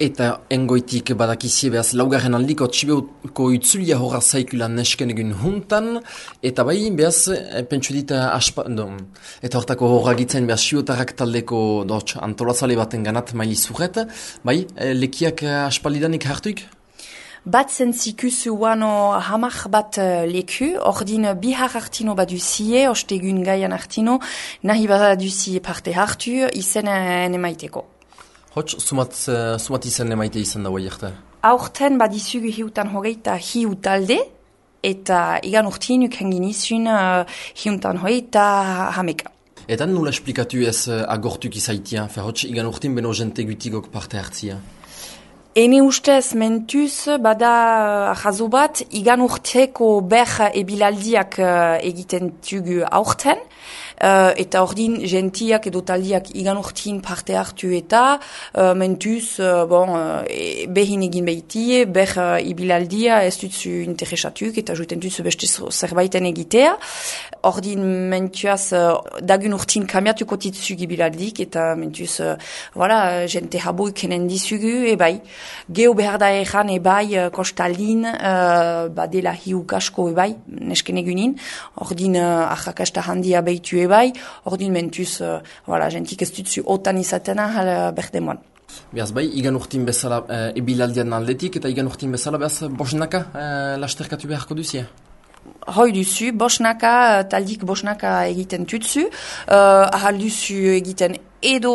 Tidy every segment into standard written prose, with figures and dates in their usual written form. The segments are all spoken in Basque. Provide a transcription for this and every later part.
Eta engoitik badakizie behaz laugarren aldiko txibeuko itzulia horra zaikulan nesken egun juntan, eta bai behaz, pentsu dit, eta hortako horra gitzen behaz xiotarrak taldeko antolatzale baten ganat maili zurret, bai, lekiak aspaldidanik hartuik? Bat zentzikuzu wano hamak bat leku, ordin bihar hartino baduzie, ostegun gaian hartino, nahi baduzie parte hartu, izen emaiteko. Hots, sumat izan emaite izan dago jerte? Aurten badizugu hiutan hogeita hiu talde, eta igan urtin ukengin izun hiutan hogeita hameka. Eta nula esplikatu ez agortuk izaitia, hots igan urtin beno jente gutigok parte hartzia? Ene ustez mentuz bada jazo bat, igan urteko ber ebilaldiak egiten tugu aurten, eta ordin gentiak edo taldiak igan urtin parte hartu eta mentuz behin egin behitie, ber ibilaldia ez dutzu interesatuk eta juten dutzu beste zerbaiten egitea. Ordin mentuaz dagun urtin kamiatuko titzuk ibilaldik eta mentuz gente habo ikenen dizugu ebai. Geo behar da egan ebai kostaldin badela hiuk asko ebai nesken egunin, ordin ahakasta handia behitu ebai, ordin mentuz, gentik ez dutzu otan izatena berdemoan. Beaz bai, igan urtin bezala ebilaldian aldetik eta igan urtin bezala beaz bosnaka lasterkatu beharko duzia? Hoi duzu, bosnaka, taldik bosnaka egiten tutzu, ahal duzu egiten edo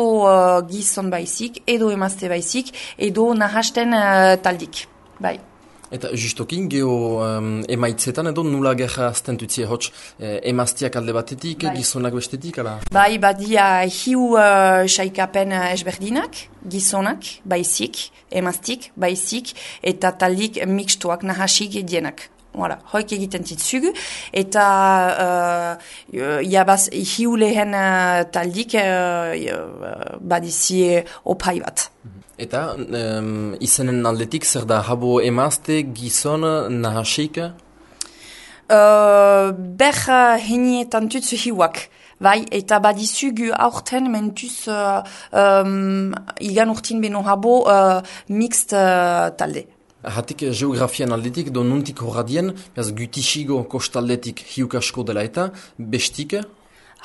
gizon baizik, edo emazte baizik, edo nahasten taldik, bai. Eta justokin, geho emaitzetan edo nula gerra azten tutzie hots emaztiak alde batetik, bai. Gizonak bestetik, ala? Bai, badia hiu saikapen esberdinak, gizonak baizik, emaztik baizik, eta taldik mixtuak nahasik edienak. Voilà, hoik egiten zitzugu, eta hiu lehen taldik badizie opai bat. Eta izenen aldetik zer da habo emazte, gizon, nahasik? Ber henietan tutzu hiuak. Bai, eta badizugu aurten mentuz igan urtin beno habo mixt talde. Hatik geografian aldetik, do nuntik horradien, gutixigo kostaldetik hiuk asko dela eta, bestik?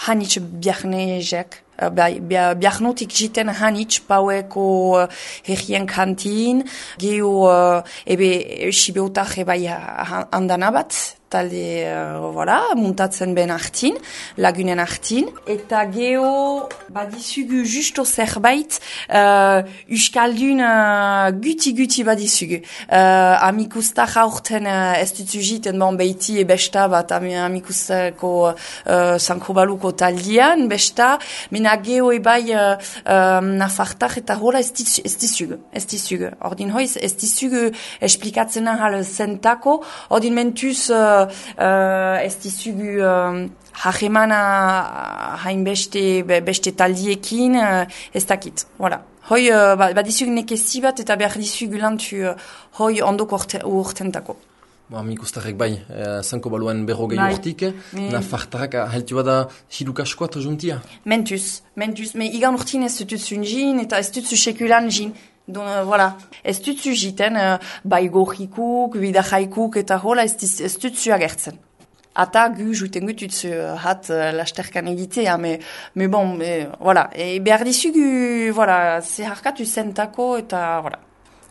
Hanitz biarnezek. Biarnotik jiten hanitz paueko herrien kantin, geho sibeotak ebai handana bat, talde, muntatzen ben hartin, lagunen hartin. Eta geho, badizugu justo zerbait, uskaldun guti badizugu. Amikustak aurten ez dutzu jiten behiti besta bat amikustako sankobaluko taldian, besta, mena geho ebai nafartak eta hola ez dizugu. Ordin hoiz ez dizugu esplikatzen ahal zentako, ordin mentuz ez dizugu hajemana hain beste taldiekin ez dakit. Voilà. Hoi badizugu nekezi bat eta behar dizugu lantu hoi ondoko urtentako. Amikustarek bai, zanko baluen berrogei urtik, nafartarak heltu bada hiluk askoat juntia? Mentuz, me igan urtin ez dutuzun jin eta ez dutzu sekulan jin. Ez dutzu jiten, bai gorrikuk, bidajaikuk eta hola ez dutzu agertzen. Ata gu juten gututzu hat lasterkan egitea, me bon, behar dizugu, zeharkatu zentako eta,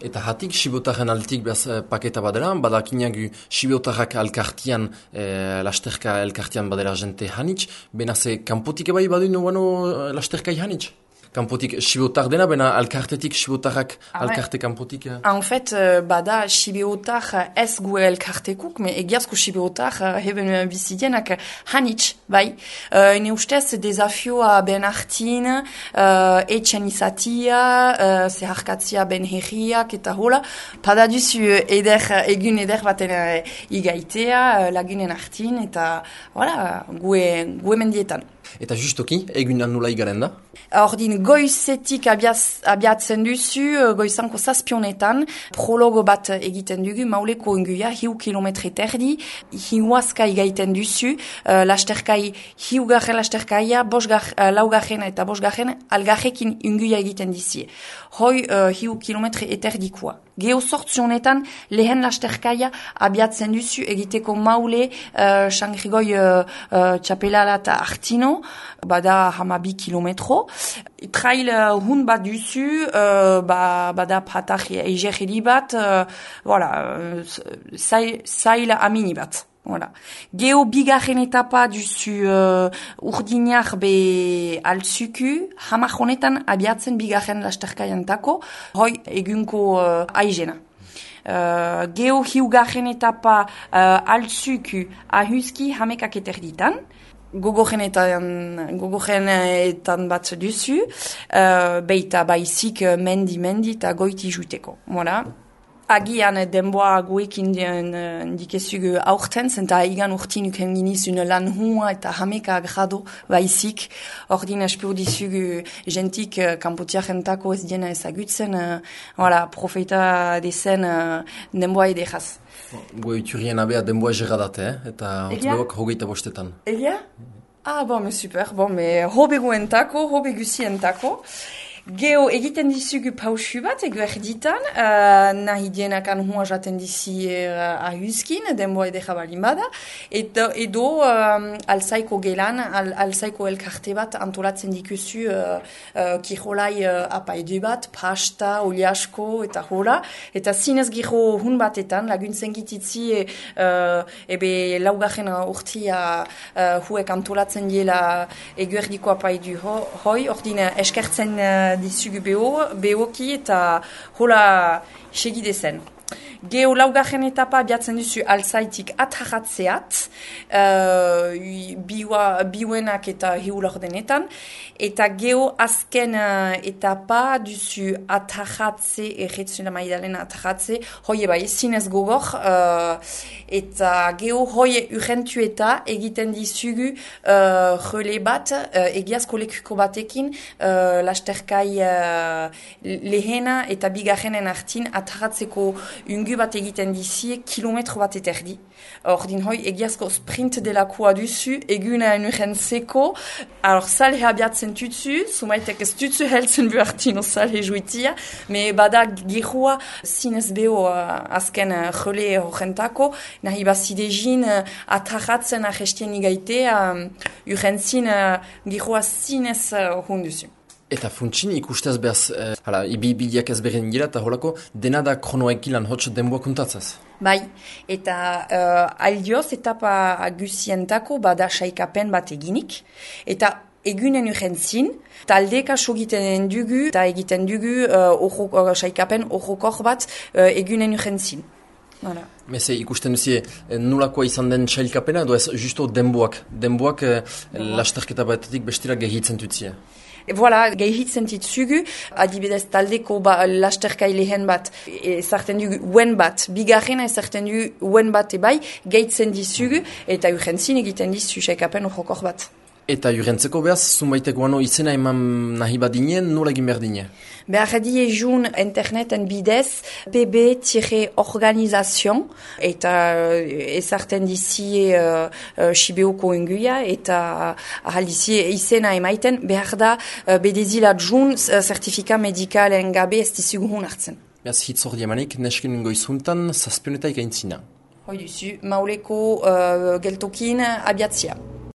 Eta hatik, sibotarren altik behaz paketa badela, badakinak sibotarrak alkartian, lasterka alkartian badela jente hanitz, benaze kanpotik ebai badu no lasterkai hanitz? Kanpotik sibotar dena, bena alkartetik sibotarrak alkarte kanpotik? En fait, bada sibotar ez gue alkartekuk, me egiazko sibotar heben bizidienak hanitz, bai. Ne ustez, desafioa ben hartin, etxen izatia, zeharkatzia ben herriak eta hola, pada duzu egun eder baten igaitea, lagunen hartin, eta gue mendietan. Eta justoki, egunan nula igaren da? Ordin goizetik abiatzen duzu, goizanko zazpionetan, prologo bat egiten dugu, mauleko inguia, 1 kilometre terdi, hiuazka igaiten duzu, lasterkai, hiugarren lasterkaia, laugarren eta bosgarren, algarrekin inguia egiten dizie. Hoi, 1 kilometre eterdikoa. Geho sortzionetan, lehen lasterkaia abiatzen duzu, egiteko maule, Sangrigoi txapelala eta Artino, bada 12 kilometro. Trail hun bat duzu, bada patak egerri bat, zail amini bat. Voilà. Geho bigarren etapa duzu urdinak be altzuku, hamar honetan abiatzen bigarren lasterkaiantako, hoi egunko aizena. Geho hiugarren etapa altzuku ahuzki hamekak eterditan, gogorenetan bat duzu, beita baizik mendi eta goiti juteko. Voilà. Agian denboa guekin dikezugu aurten, zenta igan urtin uken ginizun lan hua eta hameka grado baizik. Ordin espur dizugu jentik kanpotiarentako ez diena ezagutzen, profeta dezen denboa edekaz. Goe iturien abea denboa gerradate, eta hotbeok hogeita bostetan. Elia? Me super, hobe guentako, hobe gusientako. Geho egiten dizugu pausu bat, egu erditan, nahi dienakan hua jaten dizi ahuzkin, denboa edera balin bada, edo alzaiko gelan, alzaiko elkarte bat antolatzen dikuzu kirolai apaidu bat, pasta, oliasko eta hola, eta zinez giro hun batetan, laguntzen gititzi ebe laugarren urtia huek antolatzen diela egu erdiko apaidu hoi, ordine eskertzen dizugu behoki eta hola segidezen. Geho laugarren etapa abiatzen duzu alzaitik ataratzeat, biuenak eta hiulordenetan, eta geho azken etapa duzu ataratze, erretzuna maidalen ataratze, hoi bai, zinez gogor, eta geho hoi urrentueta egiten dizugu rele bat, egiazko lekuko batekin, lasterkai lehena eta bigarrenen artin ataratzeko ungu bat egiten dizie, kilometro bat eterdi. Ordin hoi, egiazko sprint delakoa duzu, eguna urentzeko, salhe abiatzen tutsu, sumaitek ez tutsu heltzen buartino salhe juitia, me bada gihua zinez beho azken jole horrentako, nahi bazidezin ataratzen ahestien igaite, urentzin gihua zinez hunduzu. Eta funtsin ikustez behaz, ibiliak ez beren gira eta holako, dena da kronoekilan hotz denboa kontatzaz? Bai, eta aldioz etapa gusientako bada saikapen bat eginik, eta egunen urentzin, taldeka sogiten dugu, eta egiten dugu saikapen horrokor bat egunen urentzin. Voilà. Meze ikusten duzie nulakoa izan den sailkapena, edo ez justo denboak lasterketa batetik bestira gehitzen dutzia? Voilà, gehitzen ditzugu, adibidez taldeko lasterkai lehen bat, ezarten dugu uen bat, bigarrena ezarten dugu uen bat ebai, gehitzen ditzugu, eta urrentzin egiten dizu saikapen horrokor bat. Eta urentzeko behaz, zunbaiteko izena eman nahi badinen, nola egin behar dine? Behar diezun interneten bidez, pb-organizazio, eta ezarten dizie Sibeoko inguia, eta ahaldizie izena emaiten, behar da bedezila jun zertifika medikalen gabe ez dizugun hartzen. Behaz hitzor diamanik, nesken goizuntan, zazpionetaik aintzina. Hoi duzu, mauleko geltokin abiatzia.